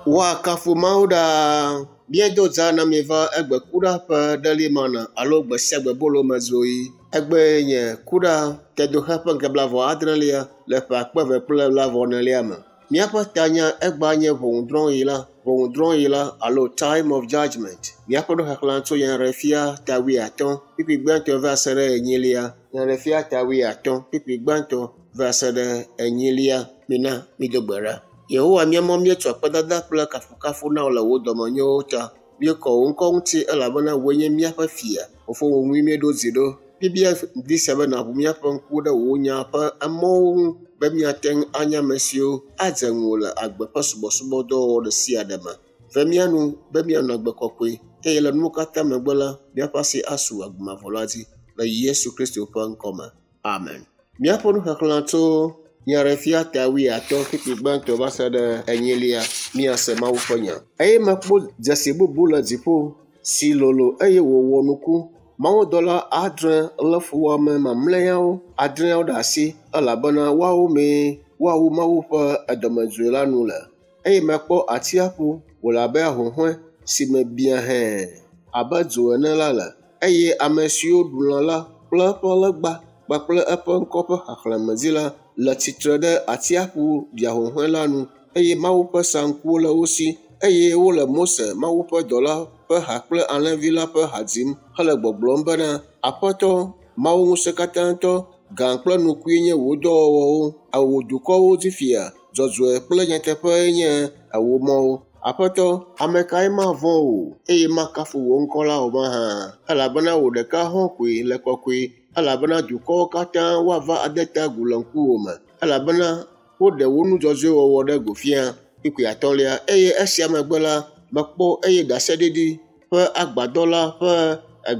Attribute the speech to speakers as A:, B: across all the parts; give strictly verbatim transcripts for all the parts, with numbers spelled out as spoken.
A: Woakafu Mawu ɖaa. Míedo dza na mi va egbe kuɖa ƒe ɖelimana alo gbe sia gbe bolo me zoe. Egbee nye kuɖa tedoxe ƒe ŋkeke blaeve adrelia le ƒe akpe eve kple blaeve enelia me. Míaƒe tanya egbea nye ʋɔnudrɔ̃ɣi la, ʋɔnudrɔ̃ɣi la alo time of judgment. Míaƒe nuxexlẽ tso Nyaɖeɖefia ta wuiatɔ̃ kpukpui gbãtɔ va se ɖe enyilia. Nyaɖeɖefia ta wuiatɔ̃ kpukpui gbãtɔ va se ɖe enyilia. Mina mído gbe ɖa. Yehowa mía Mawu míetsɔ akpedada kple kafukafu na wò le wò dɔmenyowo ta. Míekɔ wò ŋkɔ ŋuti elabena wòe nye míaƒe fia. Fofo wò ŋue míeɖo dzi ɖo. Míebia ŋdi sia be nàʋu míaƒe ŋkuwo ɖe wò nya ƒe emɔwo ŋu be míate ŋu anya ame siwo adze ŋuwò le agbe ƒe subɔsubɔdɔwɔwɔ ɖe sia ɖe me. Ve mía nu be míanɔ agbe kɔkɔe eye le nuwo katã megbe la, míaƒe asi asu agbe mavɔ la dzi le Yesu Kristo ƒe ŋkɔme. Amen. Míaƒe nuxexlẽ tso Nyaɖeɖefia ta wuiatɔ̃ kpukpui gbãtɔ va se ɖe enyilia míase Mawu ƒe nya. Eye mekpɔ dzesi bubu le dziƒo si lolo eye wòwɔ nuku. Mawudɔla adre lé fuwɔame mamlɛawo adreawo ɖe asi elabena woawo mee woawu Mawu ƒe dɔmedzoe la nu le. Eye mekpɔ atsiaƒu wòle abe ahuhɔ̃e si me biã hẽe abe dzo ene la le. Eye ame siwo ɖu lã la kple eƒe legba kpakple eƒe ŋkɔ ƒe xexlẽme dzi la le tsitre ɖe atsiaƒu ɖiahuhɔ̃e la nu eye Mawu ƒe saŋkuwo le wo si eye wole Mose, Mawu ƒe dɔla ƒe ha kple Alẽvi la ƒe ha dzim hele gbɔgblɔm bena, Aƒetɔ, Mawu ŋusẽkatãtɔ, gã kple nukue nye wò dɔwɔwɔwo, wò dukɔwo dzi fia, dzɔdzɔe kple nyateƒee nye wò mɔwo. Aƒetɔ, ame kae mavɔ̃ wò eye makafu wò ŋkɔ la o mahã? Elabena wò ɖeka hɔ̃ koe le kɔkɔe elabena dukɔwo katã woava ade ta agu le ŋkuwòme elabena woɖe wò nu dzɔdzɔe wɔwɔ ɖe go fia. Kpukpui atɔ̃lia eye esia megbe la, mekpɔ eye ɖaseɖiɖi ƒe agbadɔ la ƒe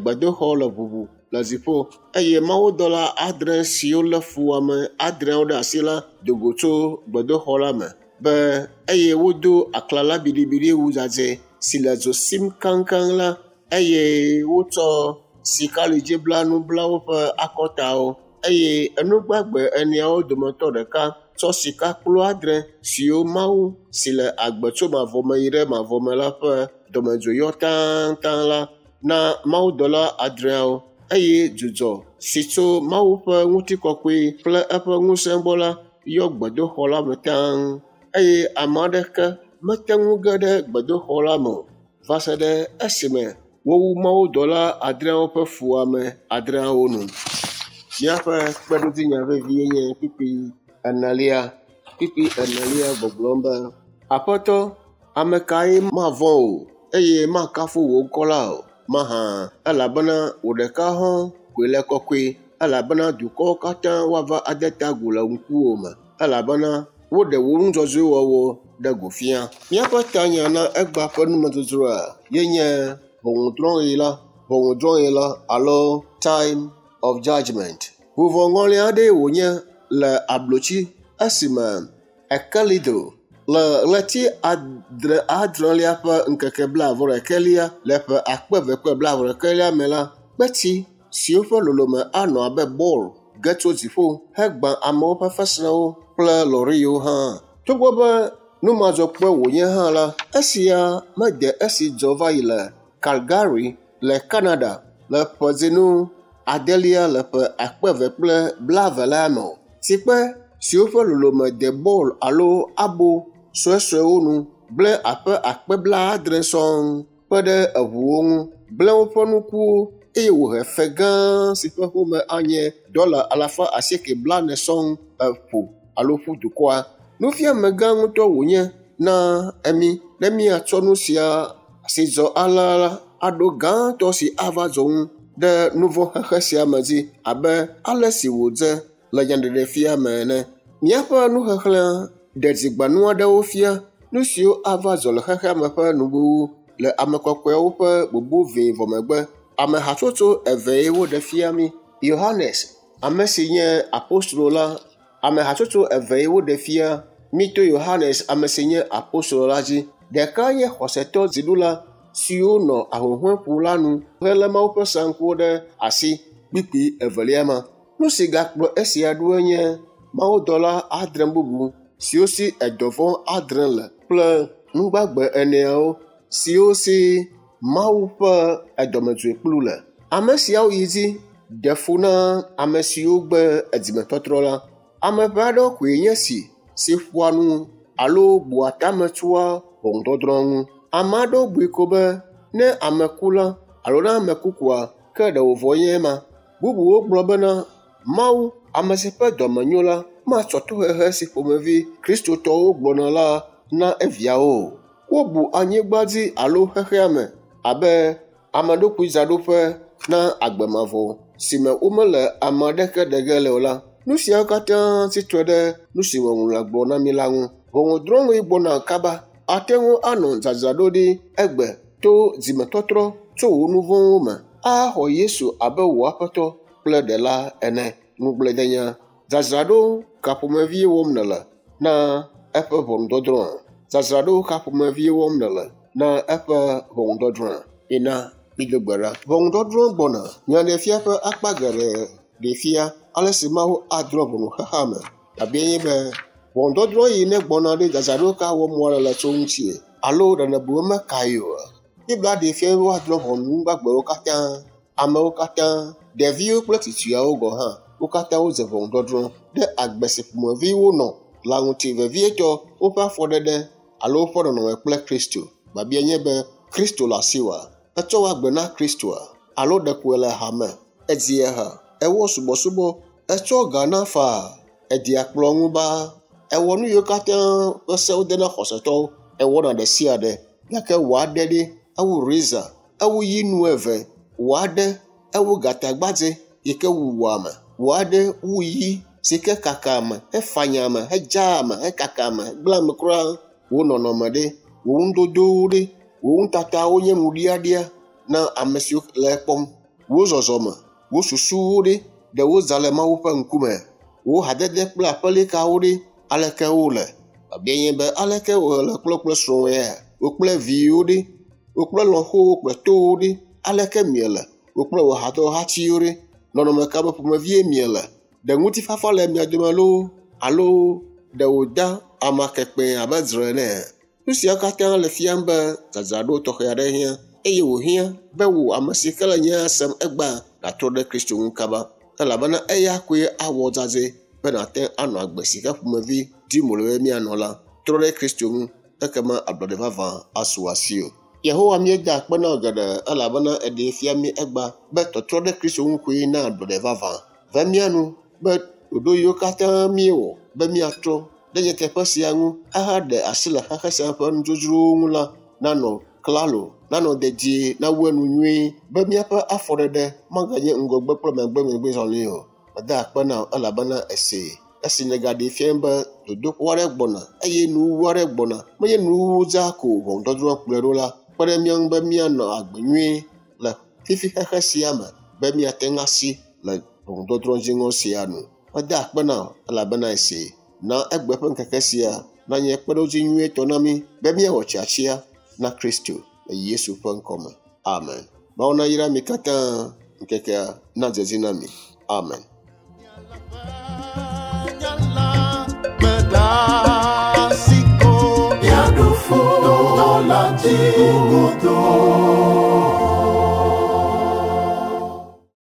A: gbedoxɔ le ʋuʋu le dziƒo eye mawudɔla adre siwo lé fuwɔame adreawo ɖe asi la do go tso gbedoxɔ la me be eye wodo aklala biɖibiɖi wu dzadzɛ si le dzo sim kaŋkaŋ la eye wotsɔ sikalidziblanu bla woƒe akɔtawo eye enugbagbe eneawo dometɔ ɖeka tsɔ sikakplu adre siwo Mawu si le agbe tso mavɔ me yi ɖe mavɔ me la ƒe dɔmedzoe yɔ taŋtaŋ la na mawudɔla adreawo eye dzudzɔ si tso Mawu ƒe ŋutikɔkɔe kple eƒe ŋusẽ gbɔ la yɔ gbedoxɔ la me taŋ eye ame aɖeke mete ŋu ge ɖe gbedoxɔ la me o va se ɖe esime wowu mawudɔla adreawo ƒe fuwɔame adreawo nu. Míaƒe kpeɖodzinya vevie nye kpukpui enelia. Kpukpui enelia gbɔgblɔm be, Aƒetɔ, ame kae mavɔ̃ wò eye makafu wò ŋkɔ la o mahã? Elabena wò ɖeka hɔ̃ koe le kɔkɔe elabena dukɔwo katã woava ade ta agu le ŋkuwòme elabena woɖe wò nu dzɔdzɔe wɔwɔ ɖe go fia. Míaƒe tanya na egbea ƒe numedzodzroa ye nye ʋɔnudrɔ̃ɣi la, ʋɔnudrɔ̃ɣi la alo time of judgment. Vuvɔŋɔli aɖee wònye le ablotsi esime Ekelido le ɣleti adre adrelia ƒe ŋkeke blaeve ɖekɛlia le ƒe akpe eve kple blaeve ɖekɛlia me la, kpetsi siwo ƒe lolome anɔ abe bɔl ge tso dziƒo hegbã amewo ƒe fesrewo kple lɔriwo hã. Togbɔ be numadzɔkpɔe wònye hã la, esia mede esi dzɔ va yi le Calgary le Canada le ƒe dzinu adelia le ƒe akpe eve kple blaeve la me o. Tsikpe siwo ƒe lolome de bɔl alo abo suesuewo nu gblẽ aƒe akpe blaadre sɔŋ kpe ɖe eʋuwo ŋu, gblẽ woƒe nukuwo eye wòhe fe gã si ƒe home anye dɔla alafa asieke blaene sɔŋ eƒo alo ƒu dukɔa. Nufiame gã ŋutɔ wònye na emi ne míatsɔ nu sia si dzɔ alea la aɖo gãtɔ si ava dzɔ ŋu ɖe nu vɔ̃ xexe sia me dzi abe ale si wòdze le nyaɖeɖefia me ene. Míaƒe nuxexlẽa ɖe dzigbanu aɖewo fia nu siwo ava dzɔ le xexea me ƒe nuwuwu le ame kɔkɔewo ƒe bubu vɛ vɔ megbe. Ame hatsotso evee woɖe fia mí. Yohanes, ame si nye apostolo la, ame hatsotso evee woɖe fia mí to Yohanes, ame si nye apostolo la dzi. Ɖeka nye xɔsetɔ dziɖula siwo nɔ ahuhɔ̃eƒu la nu helé Mawu ƒe saŋkuwo ɖe asi kpukpui evelia ma. Nu si gakplɔ esia ɖoe nye mawudɔla adre bubu siwo si edɔvɔ̃ adre le kple Nugbagbe eneawo siwo si Mawu ƒe edɔmedzoekplu le. Ame siawo yi dzi ɖe fu na ame siwo gbe edzimetɔtrɔ la. Ame ʋɛ aɖewo koe nye esi si ƒoa nu alo bua tame tsoa ʋɔnudɔdrɔ̃ ŋu. Ame aɖewo bui ko be ne ame ku la alo ne ame ku koa, ke ɖe wòvɔ nye ema. Bubuwo gblɔ bena Mawu, ame si ƒe dɔme nyo la, matsɔ tohehe si ƒomevi Kristotɔwo gblɔna la na eviawo o. Wobu anyigba dzi alo xexea me abe ameɖokuidzaɖoƒe na agbe mavɔ si me womele ame aɖeke ɖe ge le o la. Nu siawo katã tsi tre ɖe nu si Ŋɔŋlɔa gblɔ na mí la ŋu. Ʋɔnudrɔ̃ɣi gbɔna kaba. Ate ŋu anɔ dzadzraɖoɖi egbe to dzimetɔtrɔ tso wò nu vɔ̃wo me axɔ Yesu abe wò Aƒetɔ kple Ɖela ene. Ŋugbledenya. Dzadzraɖo ka ƒomevi wɔm nèle na eƒe ʋɔnudɔdrɔ̃a? Dzadzraɖo ka ƒomevi wɔm nèle na eƒe ʋɔnudɔdrɔ̃a? Ina mido gbe ɖa. Ʋɔnudɔdrɔ̃ gbɔna. Nyaɖeɖefia ƒe akpa geɖe ɖee fia ale si Mawu adrɔ̃ ʋɔnu xexea me. Biabiae nye be ʋɔnudɔdrɔ̃ yi ne gbɔna ɖe dzadzraɖo ka wɔm woale le tso ŋutie alo ɖe nèbu be mekae oa? Biblia ɖee fia be woadrɔ̃ ʋɔnu nu gbagbewo katã, amewo katã, ɖeviwo kple tsitsiawo gɔ̃ hã. Wo katã wodze ʋɔnudɔdrɔ̃ ɖe agbe si ƒomevi wonɔ la ŋuti, vevietɔ woƒe afɔɖeɖe alo woƒe nɔnɔme kple Kristo. Biabiae nye be Kristo le asiwòa? Etsɔ wò agbe na Kristoa? Alo ɖeko èle hame, edzia ha, ewɔ subɔsubɔ, etsɔ ga na faa, edia kplɔ ŋu baa, ewɔ nu yiwo katã ƒe se wode na xɔsetɔwo, ewɔna ɖe sia ɖe gake wò aɖe ɖi ewu reza, ewu yi nu eve, wò aɖe ewu gatagbadze yi ke wua ame, wò aɖe wu yi si ke kaka ame, hefanya ame, hedzaa ame, hekaka ame, hegblẽa ame kura. Wò nɔnɔme ɖe, wò nudodowo ɖe, wò nutatawo nye nuɖiaɖia na ame siwo le ekpɔm. Wò zɔzɔme, wò susuwo ɖe, ɖe wodza le Mawu ƒe ŋkume. Wò hadede kple aƒelikawo ɖe, aleke wole? Biabiae nye be aleke wòle kple kple srɔ̃wò ya? Wò kple viwò ɖe, wò kple lɔ̃xowo kple towo ɖe, aleke miele? Wò kple wò hadɔhatiwo ɖe, nɔnɔme ka me ƒomevie miele? Ɖe ŋutifafa le mia dome loo alo ɖe wòda amakekpẽ abe dzre ene? Nu siawo katã le fiam be dzadzraɖo tɔxɛ aɖe hiã eye wòhiã be wò ame si ke le nya sem egbea nàtrɔ ɖe Kristo ŋu kaba elabena eya koe awɔ dzadzɛ be nàte anɔ agbe si ke ƒomevi dim wòle be míanɔ la. Trɔ ɖe Kristo ŋu ekema ablɔɖe vavã asu asiwò. Yehowa míeda akpe na wò geɖe elabena eɖee fia mí egbea be tɔtrɔ ɖe Kristo ŋu koe na ablɔɖe vavã. Ve mía nu be ɖoɖo yiwo katã míewɔ be míatrɔ ɖe nyateƒe sia ŋu ahaɖe asi le xexe sia ƒe nudzodzrowo ŋu la nanɔ klalo, nanɔ dedie, nawu enu nyuie be míaƒe afɔɖeɖe maganye ŋgɔgbe kple megbe megbe zɔli o. Meda akpe na wò elabena esee. Esi nègaɖee fia be dodokpɔ aɖe gbɔna eye nuwuwu aɖe gbɔna, menye nuwuwu dzaa ko ʋɔnudɔdrɔ̃ kplɔe ɖo la, kpe ɖe mía ŋu be míanɔ agbe nyuie le fifi xexe sia me be míate ŋu asi le ʋɔnudɔdrɔ̃ dziŋɔ sia nu. Meda akpe na wò elabena esee. Na egbe ƒe ŋkeke sia nanye kpeɖodzi nyuietɔ na mí be míawɔ tiatia na Kristo le Yesu ƒe ŋkɔme. Amen. Mawu nayra mi katã ŋkekea nadze edzi na mi. Amen.
B: Miaɖu futɔ la dzi godoo.